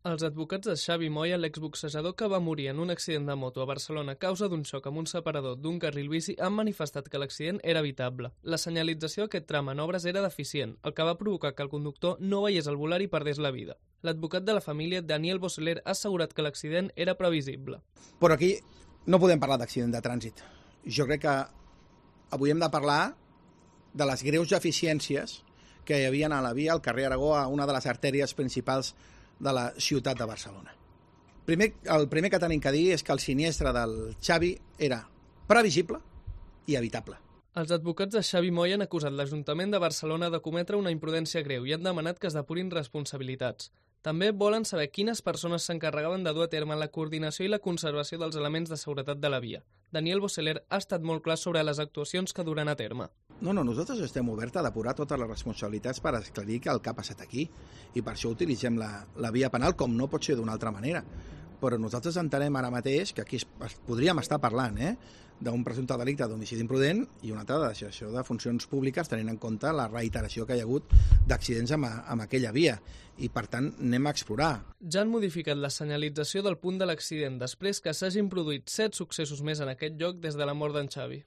Els advocats de Xavi Moya, l'exboxejador que va morir en un accident de moto a Barcelona a causa d'un xoc amb un separador d'un carril bici, han manifestat que l'accident era evitable. La senyalització d'aquest tram en obres era deficient, el que va provocar que el conductor no veiés el volant i perdés la vida. L'advocat de la família, Daniel Boseler, ha assegurat que l'accident era previsible. Però aquí no podem parlar d'accident de trànsit. Jo crec que avui hem de parlar de les greus deficiències que hi havia a la via al carrer Aragó, a una de les artèries principals de la ciutat de Barcelona. El primer que tenim que dir és que el sinistre del Xavi era previsible i evitable. Els advocats de Xavi Moya han acusat l'Ajuntament de Barcelona de cometre una imprudència greu i han demanat que es depurin responsabilitats. També volen saber quines persones s'encarregaven de dur a terme la coordinació i la conservació dels elements de seguretat de la via. Daniel Boseler ha estat molt clar sobre les actuacions que duran a terme. No, nosaltres estem oberts a depurar totes les responsabilitats per esclarir el que ha passat aquí i per això utilitzem la via penal, com no pot ser d'una altra manera. Però nosaltres entenem ara mateix que aquí podríem estar parlant d'un presumpte delicte d'homicidi imprudent i una altra de deixació de funcions públiques tenint en compte la reiteració que hi ha hagut d'accidents amb aquella via i per tant anem a explorar. Ja han modificat la senyalització del punt de l'accident després que s'hagin produït 7 successos més en aquest lloc des de la mort d'en Xavi.